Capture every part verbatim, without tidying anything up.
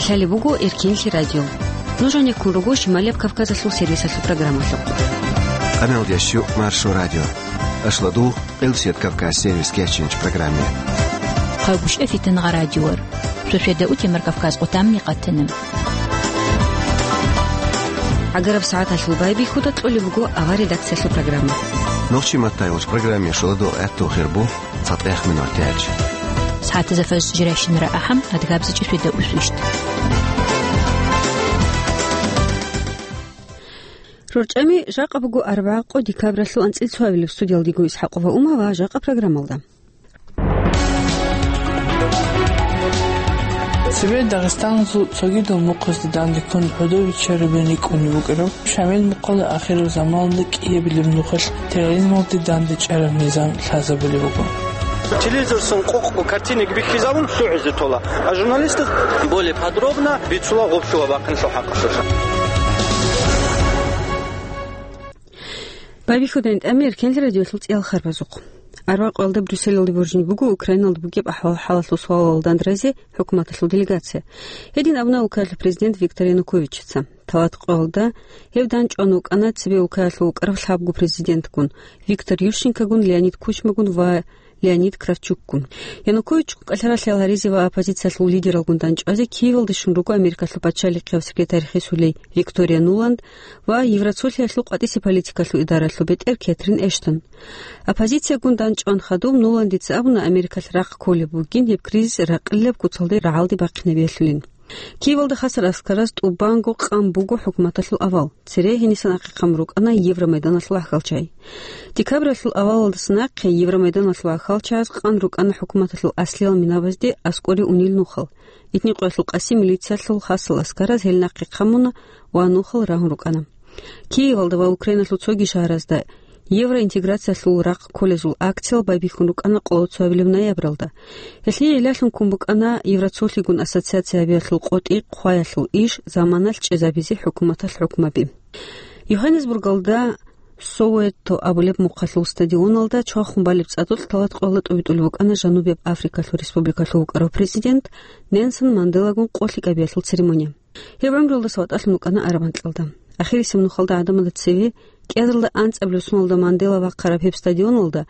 Лъалеб буго Эркенлъи радио. Нуж гьанеккун руго Шималияб Кавказалъул сервисалъул программалъухъ. Къаналда щу Маршо радио. Ашладу, Къилсият Кавказ сервис кечинч программе. Хъагушев Фитангъа радиор. Сосиеда утемар Кавказ къутамни къатана. ГӀагараб сагӀаталъул байбихьуда кьолеб буго авар редакциялъул программа. Нохчи маттайолч программе шуладу гӀатту хирбу. ЦатӀех минутач. СагӀатазда фажр жиращинара ахӀам, адгабзачӀи светда усвищт. РорчӀами жакъа буго арбагӀа къо декабралъул анцӀил цоабилеб. Студиялдего Исхакова Ума ва жакъа программалда. Цебе Дагъистаналъул цогидал мухъазда данде ккун гӀодов биччараб бен рикӀкӀунеб букӀараб Шамил мухъалда ахирал заманалда кӀиабилеб нухалъ терроризмалде данде чӀараб низам лъазабулеб буго. Телевизорцун къокъго картинок бихьизабун лъугӀизе тола, а журналистаз более подробно бицула гъоб щула бахъинлъул хӀакъалъулъ. Байбихьудайн тӀами Эркенлъи радиолъул цӀиял харбазухъ. Арбакъуялда Брюсселалде боржин буго Украиналда бугеб ахӀвал-хӀалалъул суалалда дандразе хӀукуматалъул делегация. Гьедин абуна улкаялъул президент Виктор Януковичица. Талат къоялда гьев данчӀван вукӀана цебе улкаялъул вукӀарав лъабго президентгун, Виктор Ющенкогун, Леонид Кучмагун ва Леонид Кравчукгун. Януковичгун кӀалъаралъи гьаризе ва оппозициялъул лидералгун данчӀвазе Киевалде щун руго Америкалъул пачалихъияв секретарь хисулей Виктория Нуланд ва Евросоюзалъул къватӀисе политикалъул идаралъул бетӀер Кэтрин Эштон. Оппозициягун данчӀван хадуб Нуландица абуна, Америкалъ рахъ кколеб бугин гьеб кризис ракъилаб куцалде рагӀалде бахъинабиялъулин. Киевалда хасар аскараз тӀубанго къан буго хӀукуматалъул авал. Цере гьенисан ахъехъан рукӀана Евромайданалъул ахьалчагӀи. Декабралъул авалалдаса нахъе Евромайданалъул ахьалчагӀаз къан рукӀана хӀукуматалъул аслиял минабазде аскӀоре унел нухал. Итни къоялъул къаси милициялъул хасал аскараз гьел нахъе хъамуна ва нухал рагьун рукӀана. Киевалда ва Украиналъул цоги шагьаразда евроинтеграциялъул рахъ кколезул акциял байбихьун рукӀана къоло цоабилеб ноябралда. Гьелъие гӀиллалъун ккун букӀана Евросоюзалъгун ассоциация гьабиялъул къотӀи хъваялъул иш заманалъ чӀезабизе хӀукуматалъ хӀукмаби. Йоханнесбургалда Советто абулеб мухъалъул стадионалда чвахун балеб цӀадулъ талат къоялда тӀубитӀулеб букӀана Жанубияб Африкалъул Республикалъул вукӀарав президент Нельсон Манделагун къолъи кӀабиялъул церемония. Гьеб гӀумруялдаса ватӀалъун вукӀана араб анкьалда. Ахирисеб нухалда гӀадамазда цеве кӀиазарилда анцӀабилеб соналда Мандела вахъараб гьеб стадионалда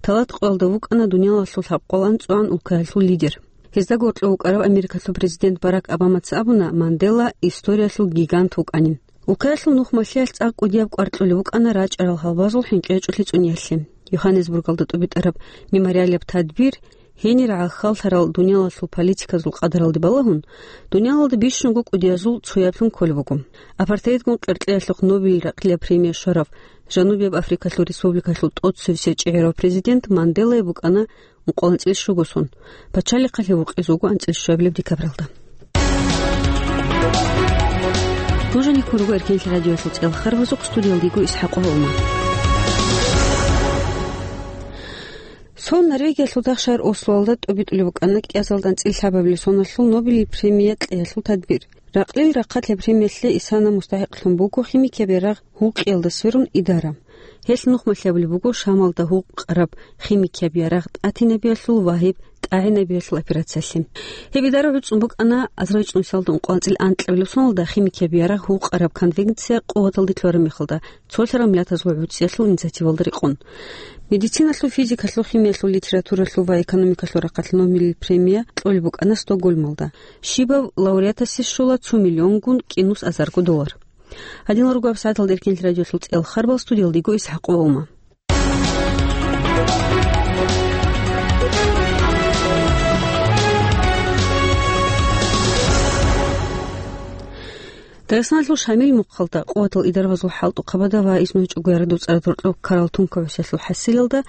талат къоялда вукӀана дуниялалъул лъабкъоялда анцӀгоялда улкаялъул лидер. Гьезда гьоркьов вукӀарав Америкалъул президент Барак Обамаца абуна, Мандела историялъул гигант вукӀанин. Улкаялъул нухмалъиялъ цӀакъ кӀудияб кӀвар кьолеб букӀана рачӀарал гьалбазул хӀинкъичӀолъи цӀуниялъе. Йоханнесбургалда тӀубитӀараб мемориалияб тадбир гьенир гӀахьаллъарал дуниялалъул политиказул къадаралде балагьун, дуниялалда бищунго кӀудиязул цояблъун кколеб буго. Апартеидгун къеркьеялъухъ Нобелил ракъилаб премия щварав Жанубияб Африкалъул Республикалъул тӀоцевесев чӀегӀерав президент Манделае букӀана ункъоялда анцӀила щуго сон. Пачалихъалъе вукъизе вуго анцӀила щуабилеб декабралда. Нуж гьанеккун руго Эркенлъи радиоялъул цӀиял харбазухъ, студиялда йиго Исхакова Ума. Цо Норвегиялъул дагъ-шагьар Ослоялда тӀубитӀулеб букӀана кӀиазарилда анцӀила лъабабилеб соналъул Нобелил премия кьеялъул тадбир. Ракълил рахъалъеб премиялъе исана мустахӀикълъун буго химикияб ярагъ гьукъиялда сверун идара. Гьелъ нухмалъи абулеб буго Шамалда гьукъараб химикияб ярагъ тӀатинабиялъул ва гьеб тӀагӀинабиялъул операциялъе. Гьеб идара гӀуцӀун букӀана азарилчӀун соналда ункъоялда анцӀила анкьабилеб соналда химикияб ярагъ гьукъараб конвенция къуваталде лъугьараб мехалда, цолъарал миллатазул гӀуцӀиялъул инициативалда рекъон. Медициналъул, физикалъул, химиялъул, литературалъул ва экономикалъул рахъалъ Нобелил премия кьолеб букӀана Стокгольмалда. Щибаб лауреатасе щола цо миллионгун кӀинус азарго доллар. Гьадинал руго гьаб сагӀаталда Эркенлъи радиоялъул цӀиял харбал, студиялда йиго Исхакова Ума. Дагъистаналъул Шамил мухъалда къуватал идарабазул хӀалтӀухъабада ва изну гьечӀого яргъи доцӀараз гьоркьоб ккарал тункаб гӀусиялъул хӀасилалда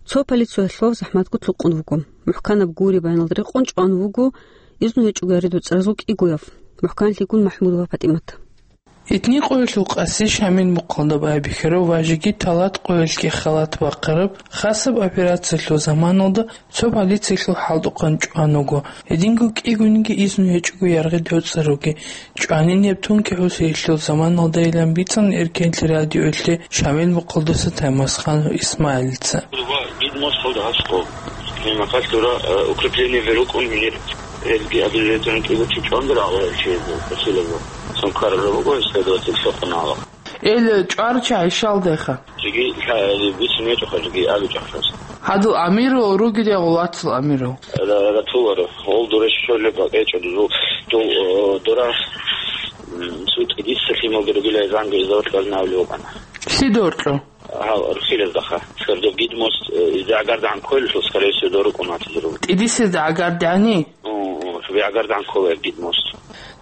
цо полициялъував захӀматго лъукъун вуго. МухӀканаб гури баяналда рекъон чӀван вуго изну гьечӀого яргъи доцӀаразул кӀигояв, мухӀканлъигун МахӀмудова ПатӀимат. Итни къоялъул къаси Шамил мухъалда байбихьарав ва жеги талат къоялъги халат бахъараб хасаб операциялъул заманалда цо полициялъул хӀалтӀухъан чӀван вуго. Гьединго кӀигониги изну гьечӀого яргъи доцӀаравги чӀванин гьеб тункаб гӀусиялъул заманалдайилан бицана Эркенлъи радиоялъе Шамил мухъалдаса Таймасханов Исмаилица. Ва гид мос халда гьас къо. Гьеб мехалъ дура, э, укрепление верукъун гьинир. Гьелги обязательно кӀиго чи чӀванде рагъула гьел чиязе, Василовго. Цун ккараб жо буго, исследователь лъукъун гьала. Ил чӀварав чи гӀишалдайха? Жеги лъа-, бицун гьечӀоха, жеги абичӀоха. Гьадул амирал ругел я гъулатал амирал? Ра-, ратуларо. Гъол дора щолеб бакӀечӀо, дузул, дул, э, дора, м, цу тӀидисалъималги ругелай занго изавлъ вазнавли вукӀана. Лъидоркьо? Гьав, рухсилаздаха. Свердо гидмост, э, изда гӀагардагӀан кколелъул, скорее всего, дорукӀун ватизару. ТӀидисезда гӀагардани? О, о, цо гӀагардагӀан ккола гидмост.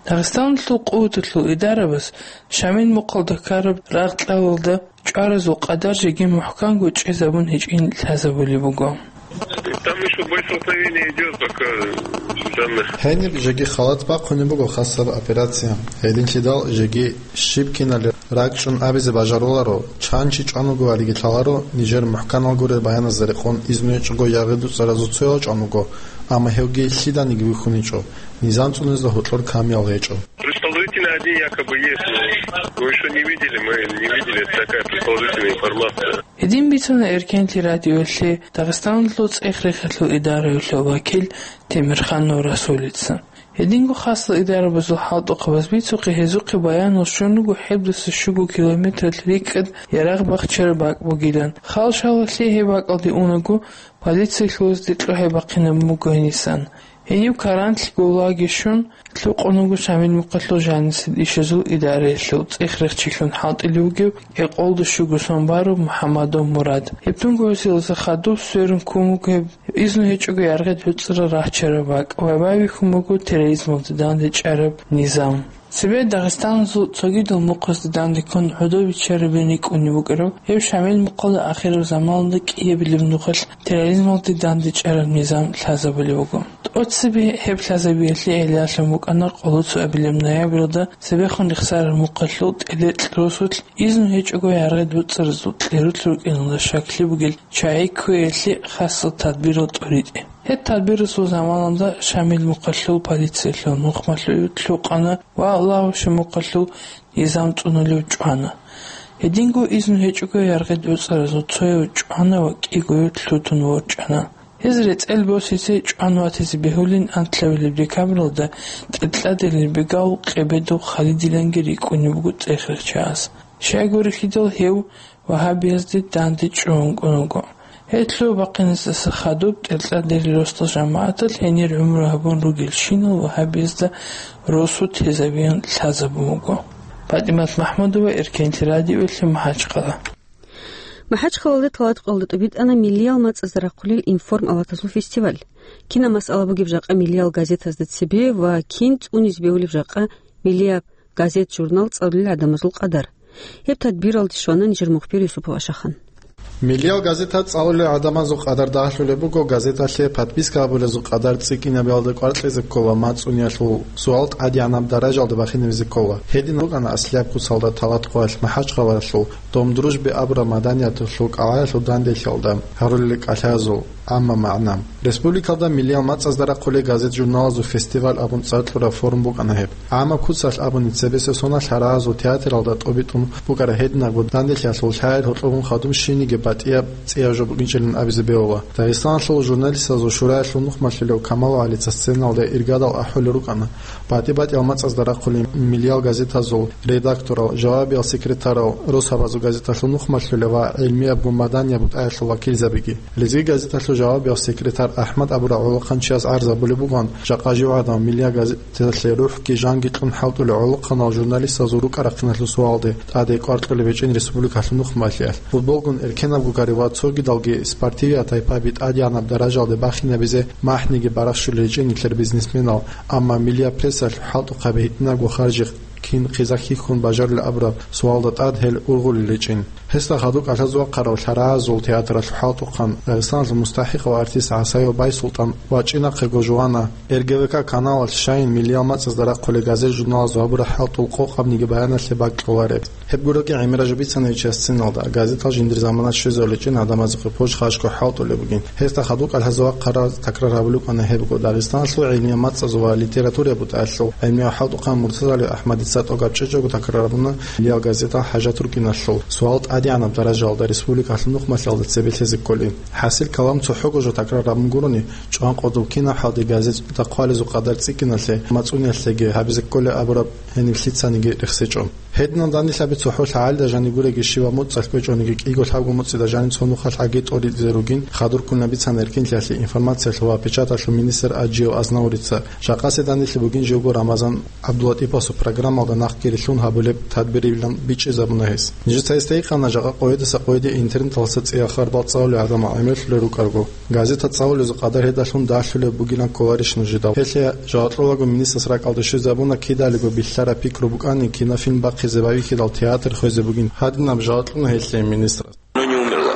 Дагъистаналъул къуваталъул идарабаз Шамил мухъалда ккараб рагъ-кьалалда чӀваразул къадар жеги мухӀканго чӀезабун гьечӀин лъазабулеб буго. Там ещё боестолкновение идёт, пока данных. Гьениб жеги халат бахъунеб буго хасаб операция. Гьединлъидал жеги щиб киналги ракӀчӀун абизе бажаруларо, чан чи чӀван вуго валиги лъаларо, нижер мухӀканал гурел баяназда рекъон изну гьечӀого яргъи дуцӀаразул цоял чӀван вуго, амма гьевги лъиданиги вихьун гьечӀо, низам цӀунезда гьоркьор камиял гьечӀо. Предположительно, один якобы есть, но мы ещё не видели, мы не видели, это такая предположительная информация. Гьедин бицана Эркенлъи радиоялъе Дагъистаналъул цӀех-рехалъул идараялъул вакил Темирханов Расулица. Гьединго хасал идарабазул хӀалтӀухъабаз бицухъе гьезухъе баянал щун руго гьебдаса щуго километралъ рикӀкӀад ярагъ бахчараб бакӀ бугилан. Хал-шалалъе гьеб бакӀалде унаго, полициялъулазде кьухӀей бахъинабун буго гьенисан. Гьенив карантлъи гулаги щун, лъукъун вуго Шамил мухъалъул жанисел ишазул идараялъул цӀех-рехчилъун хӀалтӀулев вугев кӀикъоялда щуго сон барав МухӀаммадов Мурад. Гьеб тунго гьесиласа хадуб сверун ккун вуго гьеб изну гьечӀого яргъи дуцӀарал рахчараб бакӀ ва байбихьун буго терроризмалде дандечӀараб низам. Цебе Дагъистаналъул цогидал мухъазда данде ккун гӀодов биччарабин рикӀкӀунеб букӀараб гьеб Шамил мухъалда ахираб заманалда кӀиабилеб нухалъ терроризмалде дандечӀараб низам лъазабулеб буго. ТӀоцебе гьеб лъазабиялъе гӀиллалъун букӀана къоло цоабилеб ноябрьалда цебехун рехсараб мухъалъул тӀелекь росулъ изну гьечӀого яргъи дуцӀаразул кьерулъ рукӀиналда щаклъи бугел чагӀи кквеялъе хасал тадбирал тӀоритӀе. Гьеб тадбирасул заманалда Шамил мухъалъул полициялъул нухмалъуе лъукъана ва Лагьурши мухъалъул низам цӀунулев чӀвана. Гьединго изну гьечӀого яргъи дуцӀаразул цояв чӀвана ва кӀигояв лъутун ворчӀана. Гьез рецӀел босизе чӀван ватизе бегьулин анлъабилеб декабралда тӀадкьадилел бегав Къебедов Халидиланги рикӀкӀунеб буго цӀех-рехчияс. Щайгурелъидал гьев вагьабиязде данде чӀун вукӀун вуго. Гьелъул бахъинасдаса хадуб тӀадкьадилел росдал жамагӀаталъ гьенир гӀумру гьабун ругелщинал вагьабиязда росу тезабиян лъазабун вуго. ПатӀимат МахӀмудова, Эркенлъи радиоялъе, МахӀачхъала. МахӀачхъалалде тӀалаб кьолда тӀубитӀана миллиял мацӀазда рахъулел «Информ» аваталъул фестиваль. Кинаб масъала бугеб жакъа миллиял газетазда цебе ва кин цӀунизе бегьулеб жакъа миллияб газет-журнал цӀалулел гӀадамазул къадар? Гьеб тадбиралде щвана нижер мухбир Юсупов Ашахан. Миллиял газета цӀалулел гӀадамазул къадар дагьлъулеб буго, газеталъе подписка гьабулезул къадар цӀикӀкӀинабиялда кӀвар кьезе ккола, мацӀуниялъул суал тӀадегӀанаб даражалда бахинабизе ккола. Гьедин рукӀана аслияб куцалда Талаткъоялъ МахӀачхъалаялъул «Дом дружбы» абураб маданияталъул кӀалгӀаялъул данделъиялда гьарулел кӀалъазул гӀамма магӀна. Республикалда миллиял мацӀазда рахъулел газет-журналазул фестиваль абун цӀар кьураб форум букӀана гьеб. ГӀаммаб куцалъ абуни, цебесеб соналъ гьарагьазул театралда тӀобитӀун букӀараб гьединабго данделъиялъул лъагӀел гьоркьоб хадуб щибниги батӀияб цӀияб жо букӀинчӀилан абизе бегьула. Дагъистаналъул журналистазул шураялъул нухмалъулев Камал ГӀалица сценалда иргадал ахӀулел рукӀана батӀи-батӀиял мацӀазда рахъулел миллиял газетазул редакторал, жавабиял секретарал, росабазул газеталъул нухмалъулев ва гӀилмиябго маданияб бутӀаялъул вакилзабиги. Лезги газеталъул жавабиял секретарь АхӀмад абурав гӀолохъанчияс гӀарз гьабулеб бугоан, жакъа жив гӀадамал миллиял газеталъе рухӀги жанги кьун хӀалтӀулел гӀолохъанал журналистазул рукӀа-рахъиналъул суалде тӀаде кӀвар кьолеб гьечӀин республикалъул нухмалъиялъ. Футболгун эркенабгогари ва цогидалги спортивиял тайпаби тӀадегӀанаб даражалде бахинабизе махӀниги барахщулел гьечӀин нилъер бизнесменал, амма миллиял прессалъ хӀалтӀухъаби гьитӀинабго харжи кин хъиза хьихьун бажарулел абураб суалда тӀад гьел ургъулел гьечӀин. Гьесда хадуб кӀалъазул вахъарав лъарагӀазул театралъул хӀалтӀухъан, Дагъистаналъул мустахӀикъав артист ГӀасаев Байсултан ва ЧӀинахъего Жувана Р Г В К каналалъ щайин миллиял мацӀазда рахъулел газет-журналазул гьабураб хӀалтӀул къокъабниги баяналъе бакӀ кьолареб. Гьеб гуроги ГӀемерал Жубицановича сценалда газетал жиндир замана щвезарулел гьечӀин гӀадамазухъе пож хашго хӀалтӀулеб бугин. Гьесда хадуб кӀалъазул вахъарал такрар гьабулеб букӀана гьебго. Дагъистаналъул гӀилмияб мацӀазул ва литератураяб бутӀаялъул гӀилмияв хӀалтӀухъан МуртазалиевгӀахӀмадица тӀокӀаб чӀечӀого такрар гьабуна миллиял газетал хӀажат рукӀиналъул суал тӀад ТӀадегӀанаб даражаялда республикалъул нухмалъиялда цебе лъезе кколин. ХӀасил калам цохӀого жо такрар гьабун гурони, чӀван къодул кинаб хӀалде газеталда хъвалезул къадар цӀикӀкӀиналъе, мацӀуниялъеги гьабизе кколеб абураб гьениб лъицаниги рехсечӀо. Гьединал данделъаби цохӀо лъагӀалида жаниб гуреги, щибаб муцӀалъ кӀвечӀониги, кӀиго-лъабго муцӀида жаниб цо нухалъ гьаги тӀоризе ругин, хадур ккун бицана эркинлъиялъе информациялъул ва печаталъул министр Аджиев Азнавурица. Жакъасеб данделъи бугин живго Рамазан ГӀабдулатӀипасул программалда нахъги рилълъун гьабулеб тадбирилан бичӀчӀизабуна гьес. Нижеца гьесда гьикъана, жакъа къоядаса къояде интернеталдаса цӀиял харбал цӀалулел гӀадамал гӀемерлъулел рукӀарго. Газета цӀалулезул къадар гьедалъун далъулеб бугилан кколарищ нужеда? Гьелъие жаваб кьолаго министрас ракӀалде щвезабуна, кидалего бихьараб пикру букӀани, кинофильм бахъизе байбихьидал театр хвезе бугин. Гьадинаб жаваб кьуна гьелъие министрас. Оно не умерло.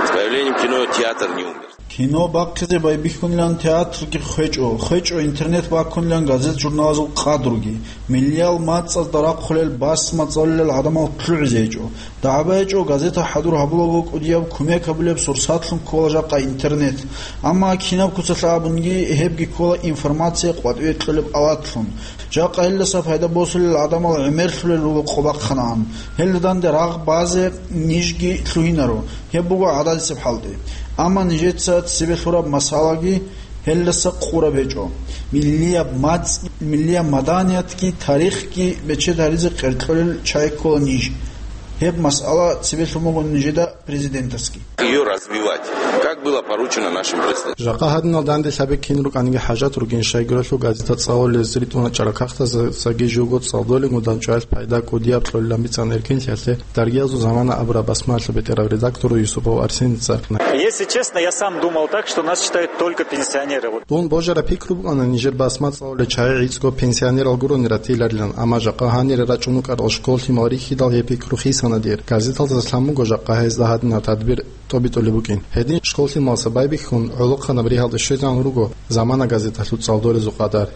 С появлением кино театр не умер. Кино бахъизе байбихьунилан театрги хвечӀо, хвечӀо интернет баккунилан газет-журналазул къадруги, миллиял мацӀазда рахъулел басма цӀалулел гӀадамал лъугӀизе гьечӀо. ДагӀба гьечӀо, газета хӀадур гьабулаго кӀудияб кумек гьабулеб сурсатлъун ккола жакъа интернет. Амма кинаб куцалъ абунги, гьебги ккола информация къватӀиве кьолеб аватлъун. Жакъа гьелдаса пайда босулел гӀадамал гӀемерлъулел руго къо бахъанагӀан. Гьелда данде рагъ базе нижги лъугьинаро. Гьеб буго гӀададисеб хӀалде. Амма нижеца цебе лъураб масъалаги гьелдаса къураб гьечӀо. Миллияб мацӀ, миллияб маданиятги тарихги бечед гьаризе къеркьолел чай ккола ниж. Гьеб масъала цебе лъун буго нижеда президентасги. Её развивать, как было поручено нашим президентам. Жакъа гьадинал данделъаби кин рукӀаниги хӀажат ругин, щайгурелъул газета цӀалулез ритӀуна чӀарахъахъдаса, саги живго цӀалдолин гудан чӀваялъ пайда кӀудияб кьолилан бицана эркинлъиялъе даргиязул «Замана» абураб басмаялъул бетӀерав редактор Юсупов Арсеница. Если честно, я сам думал так, что нас читают только пенсионеры. Вот. Дун божараб пикру букӀана нижер басма цӀалулел чагӀи гӀицӀго пенсионерал гурони ратиларилан, амма жакъа гьанире рачӀун рукӀарал школ-лъимал рихьидал гьеб пикру хисана дир. Газеталдаса лъан буго жакъа гьезда гьадинаб тадбир тӀобитӀулеб букӀин. Гьедин школ-лъималаса байбихьун, гӀолохъанаб ригьалде щвезегӀан руго «Замана» газеталъул цӀалдолезул къадар.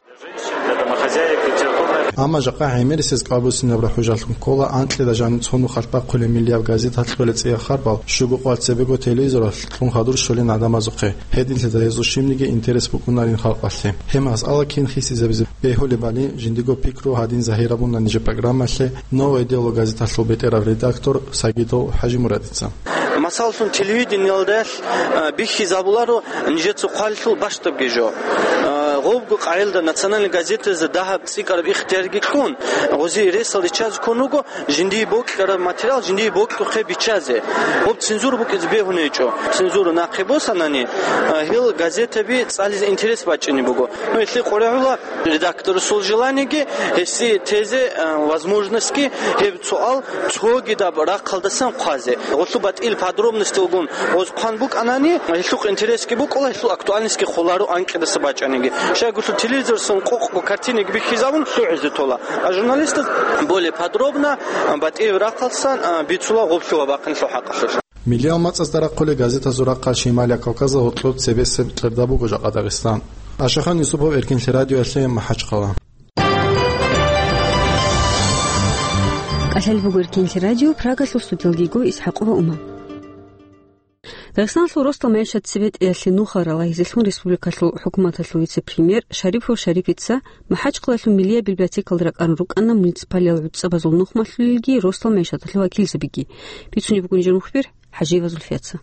Амма жакъа гӀемерисез кӀвар буссинабра хӀужалъун ккола анкьида жаниб цо нухалъ бахъулеб миллияб газеталъ кколел цӀияб харбал, щуго къвалъ цебего телевизоралъ кьун хадур щолин гӀадамазухъе. Гьединлъидал гьезул щибниги интерес букӀунарин халкъалъе. Гьеб масъала кин хисизабизе бегьулебали жиндиго пикру гьадин загьирабуна нижер программалъе «Новое дело» газеталъул бетӀерав редактор Сагидов ХӀажимурадица. Масаллъун, телевидениялда, а, бихьизабуларо нижеца хъвалилъул бащдабги жо. А, гъобго къагӀилда национальный газетазе дагьаб цӀикӀкӀараб ихтиярги кьун, гъозие ресал риччазе ккун руго, жиндие бокьараб материал жиндие бокьухъе биччазе. Гъоб цензура букӀизе бегьунеб гьечӀо. Цензура нахъе босанани, а, гьел газетаби цӀализе интерес бачӀине буго. Ну, гьелъие къваригӀула редакторасул желаниеги, гьесие тезе, а, возможностьги, гьеб суал цогидаб рахъалдасан хъвазе. Гъолъул батӀил подробностьалгун гъоз хъван букӀанани, гьелъухъ интересги букӀула, гьелъул актуальностьги холаро анкьидаса бачӀаниги. Щайгурелъул телевизорсан къокъго картинаги бихьизабун лъугӀизе тола. А журналистаз более подробно, а, батӀияб рахъалдасан, а, бицула гъоблъула бахъинлъул хӀакъалъулъ. Миллиял мацӀазда рахъулел газетазул рахъалъ Шималияб Кавказалда гьоркьоб цебесеб кьерда буго жакъа Дагъистан. Ашахан Юсупов, Эркинлъи радиоялъе, МахӀачхъала. КӀалъалеб буго Эркинлъи радио, Прагалъул студиялги йиго ИсхӀакъова Умар. Дагъистаналъул росдал мегӀишат цебетӀеялъе нухал ралагьизелъун республикалъул хӀукуматалъул вице-премьер Шарипов Шарипица МахӀачхъалалъул миллияб библиотекалда ракӀарун рукӀана муниципалиял гӀуцӀабазул нухмалъулелги росдал мегӀишаталъул вакилзабиги. Бицунеб буго нижер мухбир ХӀажиева Зульфияца.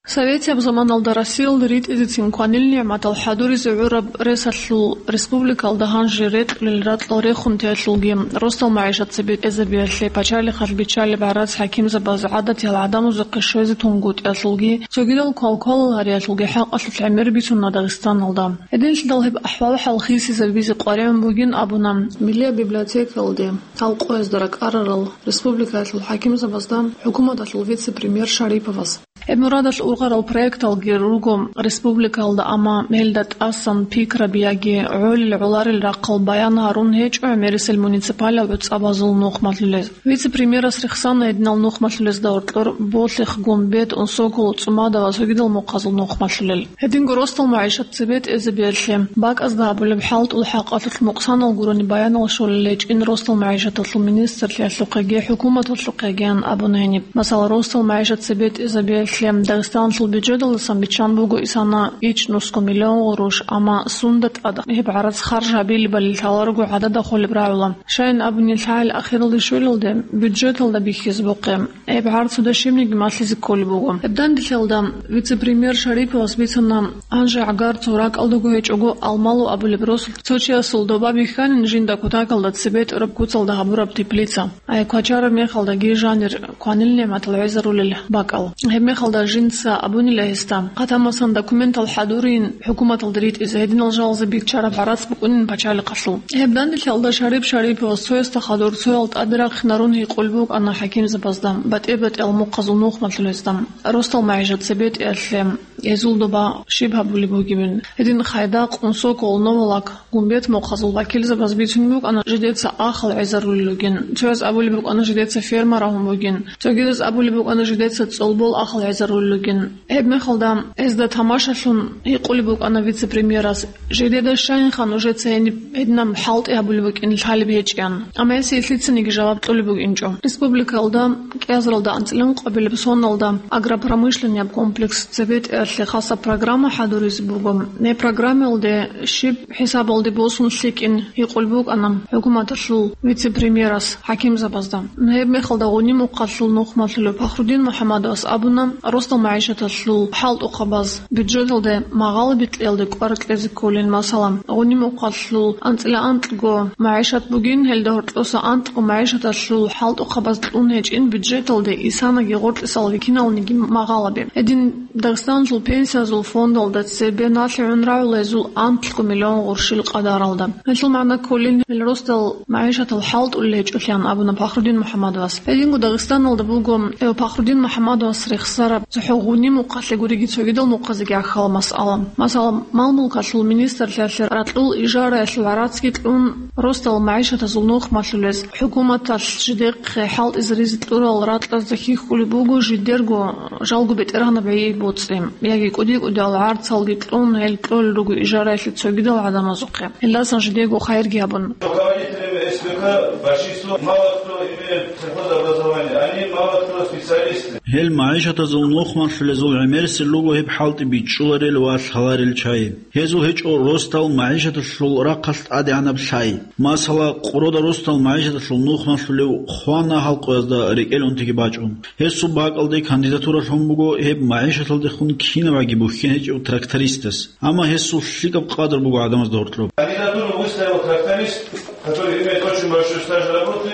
Советияб заманалда Россиялда ритӀизецин кванил нигӀматал хӀадуризе гӀураб ресалъул республикалда гьанже рекьулел ракьал рехун теялъулги, росдал магӀишат цебетӀезабиялъе пачалихъалъ биччалеб гӀарац хӀакимзабаз гӀадатиял гӀадамазухъе щвезе тунгутӀиялъулги, цогидал квалквалал гьариялъулги хӀакъалъулъ гӀемер бицуна Дагъистаналда. Гьединлъидал гьеб ахӀвал-хӀал хисизабизе къваригӀун бугин абуна миллияб библиотекалде гьал къоязда ракӀарарал республикаялъул хӀакимзабазда хӀукуматалъул вице-премьер Шариповас. Гьеб мурадалъ ургъарал проекталги руго республикалда, амма гьелда тӀасан пикраби яги гӀолил-гӀоларил рахъал баян гьарун гьечӀо гӀемерисел муниципалиял гӀуцӀабазул нухмалъулез. Вице-премьерас рехсана гьединал нухмалъулезда гьоркьор Болъихъ, Гумбет, Унсокол, ЦӀумада ва цогидал мухъазул нухмалъулел. Гьединго росдал магӀишат цебетӀезабиялъе бакӀазда гьабулеб хӀалтӀул хӀакъалъулъ мукъсанал гурони баянал щолел гьечӀин росдал магӀишаталъул министрлъиялъухъеги хӀукуматалъухъегиян абуна гьениб. Масала, росдал магӀишат цебетӀезабиялъ Лъем Дагъистаналъул бюджеталдасан биччан буго исана ичӀнусго миллион гъурущ, амма сунда тӀад гьеб гӀарац харж гьабилебали лъаларого гӀадада холеб рагӀула. Щайин абуни, лъагӀел ахиралде щвелалде бюджеталда бихьизабухъе. Гьеб гӀарцуда щибниги малъизе кколеб буго. Гьеб данделъалда вице-премьер Шариповас бицана, гьанже гӀагар цо ракӀалдаго гьечӀого, Алмалу абулеб росулъ цо чиясул доба бихьанин жинда кутакалда цебе тӀураб куцалда гьабураб теплица. Ай, квачараб мехалдаги жанир кванил нигӀматал гӀезарулел бакӀал. Гьеб мехалда жинца абунила гьесда, хъатамасан документал хӀадурин, хӀукуматалда ритӀизе гьединал жалазе биччараб гӀарац букӀунин пачалихъалъул. Гьеб данделъалда Шарип Шариповас цоясда хадур цоял тӀаде рахъинарун гьикъулеб букӀана хӀакимзабазда, батӀи-батӀиял мухъазул нухмалъулезда, росдал магӀишат цебетӀиялъе гьезул доба щиб гьабулеб бугебин. Гьедин Хайдакъ, Унсокол, Новолак, Гумбет мухъазул вакилзабаз бицунеб букӀана жидеца ахал гӀезарулел ругин, цояз абулеб букӀана жидеца ферма рагьун бугин, цогидаз абулеб букӀана жидеца цӀолбол ахал гӀезарулел ругин. Гьеб мехалда гьезда тамашалъун гьикъулеб букӀана вице-премьерас, жидеда щайинха нужеца гьениб гьединаб хӀалтӀи гьабулеб букӀин лъалеб гьечӀеян. Амма гьес лъицаниги жаваб кьолеб букӀинчӀо. Республикалда кӀиазаралда анцӀила ункъабилеб соналда агропромышленнияб комплекс цебетӀиялъе хасаб программа хӀадуризе буго. Гьеб программаялде щиб хӀисабалде босун лъикӀин гьикъулеб букӀана хӀукуматалъул вице-премьерас хӀакимзабазда. Гьеб мехалда Гъуни мухъалъул нухмалъулев Пахрудин МухӀаммадовас абуна, росдал магӀишаталъул хӀалтӀухъабаз бюджеталде магъало бикьиялде кӀвар кьезе кколин, масала, Гъуни мухъалъул анцӀила анкьго магӀишат бугин, гьелда гьоркьоса анкьго магӀишаталъул хӀалтӀухъабаз кьун гьечӀин бюджеталде исанаги гъоркьисал вихьиналниги магъалаби. Гьедин Дагъистаналъул пенсиязул фондалда цебе налъи гӀун рагӀула гьезул анкьго миллион гъурщил къадаралда. Гьелъул магӀна кколин, гьел росдал магӀишатал хӀалтӀулел гьечӀолъиан абуна Пахрудин МухӀаммадовас. Гьединго Дагъистаналда буго, э, Пахрудин МухӀаммадовас рехсараб цохӀо Гъуни мухъалъе гуриги цогидал мухъазеги гӀахьал масъала. Масала, мал-мулкалъул министрлъиялъе ракьул ижараялъул гӀарацги кьун, росдал магӀишатазул нухмалъулез хӀукуматалъ жидехъе хӀалтӀизаризе кьурал ракьазда хьихьулеб буго жидерго жалго бетӀергьанаб гӀи боцӀи, яги кӀуди-кӀудиял гӀарцалги кьун, гьел кьолел руго ижараялъе цогидал гӀадамазухъе. Гьелдасан жидего хайирги гьабун. Руководителями С П К большинство мало кто имеет сельхозобразование, они мало кто специалисты. Гьел магӀишатазул нухмалъулезул гӀемерисел руго гьеб хӀалтӀи бичӀчӀуларел ва лъаларел чагӀи. Гьезул гьечӀо росдал магӀишаталъул рахъалъ тӀадегӀанаб лъай. Масала, Къурода росдал магӀишаталъул нухмалъулев хвана гьалкъуязда рекӀел унтиги бачӀун. Гьесул бакӀалде кандидатура лъун буго гьеб магӀишаталдехун кинабгӀаги бухьен гьечӀев трактористас. Амма гьесул лъикӀаб къадар буго гӀадамазда гьоркьоб. Кандидатуру выставил тракторист, который имеет очень большой стаж работы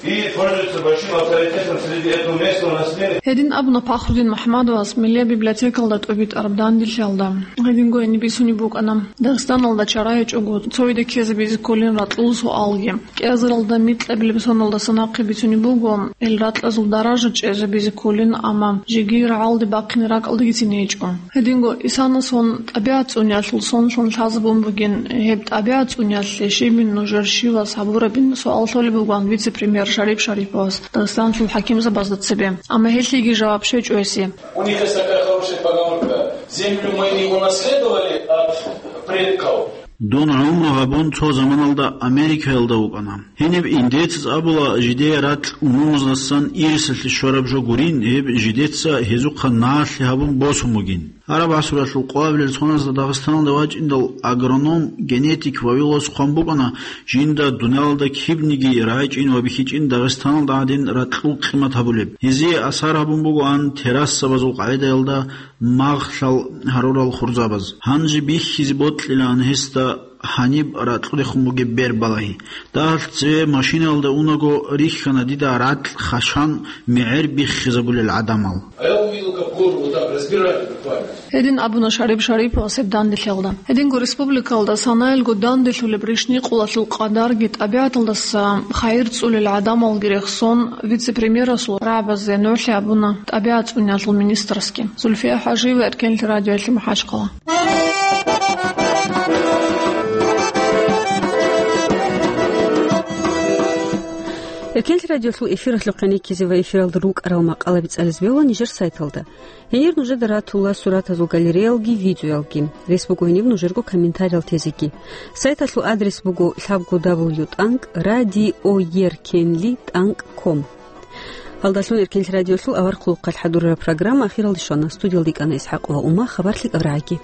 и пользуется большим авторитетом среди этого местного населения. Гьедин абуна Пахрудин МухӀаммадовас Миллияб библиотекалда тӀубитӀараб данделъиялда. Гьединго гьениб бицунеб букӀана Дагъистаналда чара гьечӀого цояда ккезабизе кколин ракьул суалги. КӀиазаралда микьабилеб соналдаса нахъе бицунеб буго, гьел ракьазул даража чӀезабизе кколин, амма жеги рагӀалде бахъине ракӀалдагицин гьечӀо. Гьединго исана сон тӀабигӀат цӀуниялъул сонлъун лъазабун бугин, гьеб тӀабигӀат цӀуниялъе щибин нужер щивас гьабурабин суал лъолеб бугоан вице-премьер Шарип Шариповас Дагъистаналъул хӀакимзабазда цебе. Амма гьелъиеги жаваб щвечӀо гьесие. У них есть такая хорошая поговорка: «Землю мы не унаследовали от предков». Дун гӀумру гьабун цо заманалда Америкаялда вукӀана. Гьениб индеецаз абула, жидее ракь умумуздасан ирисалъе щвараб жо гурин, гьеб жидеца гьезухъа налъи гьабун босун бугин. Араб гӀасуралъул къоабилел соназда Дагъистаналда вачӀиндал агроном, генетик Вавиловас хъван букӀана, жинда дуниялалда кибниги рагӀичӀин ва бихьичӀин Дагъистаналда гӀадин ракьул къимат гьабулеб. Гьезие асар гьабун бугоан террасабазул къагӀидаялда магълъал гьарурал хурзабаз. Гьанже бихьизе бокьилаан гьесда гьаниб ракьудехун бугеб бер балагьи. Дагьалъ цеве машинаялда унаго рихьана дида ракь хашан мегӀер биххизабулел гӀадамал. А я увидел, как гору вот так разбирали буквально. Гьедин абуна Шарип Шариповас гьеб данделъиялда. Гьединго республикалда санаялго данделъулеб ришникъулалъул къадарги тӀабигӀаталдаса хайир цӀулел гӀадамалги рехсон вице-премьерасул рагӀабазе нугӀлъи абуна тӀабигӀат цӀуниялъул министрасги. Зульфия ХӀажиева, Эркенлъи радиоялъе МахӀачхъала. Эркенлъи радиолъул эфиралъухъе реккизе ва эфиралда рукӀарал макъалаби цӀализе бегьула нижер сайталда. Гьенир нужеда ратула суратазул галереялги видеоялги. Рес буго гьениб нужерго комментариял тезеги. Сайталъул адрес буго лъабго дабл ю тӀанкӀ радиоеркенли тӀанкӀ ком. Гьалдалъун Эркенлъи радиолъул авар хъулухъалъ хӀадурараб программа ахиралде щвана. Студиялда йикӀана ИсхӀакъ ва Ума. Хабар лъикӀаб рагӀаги.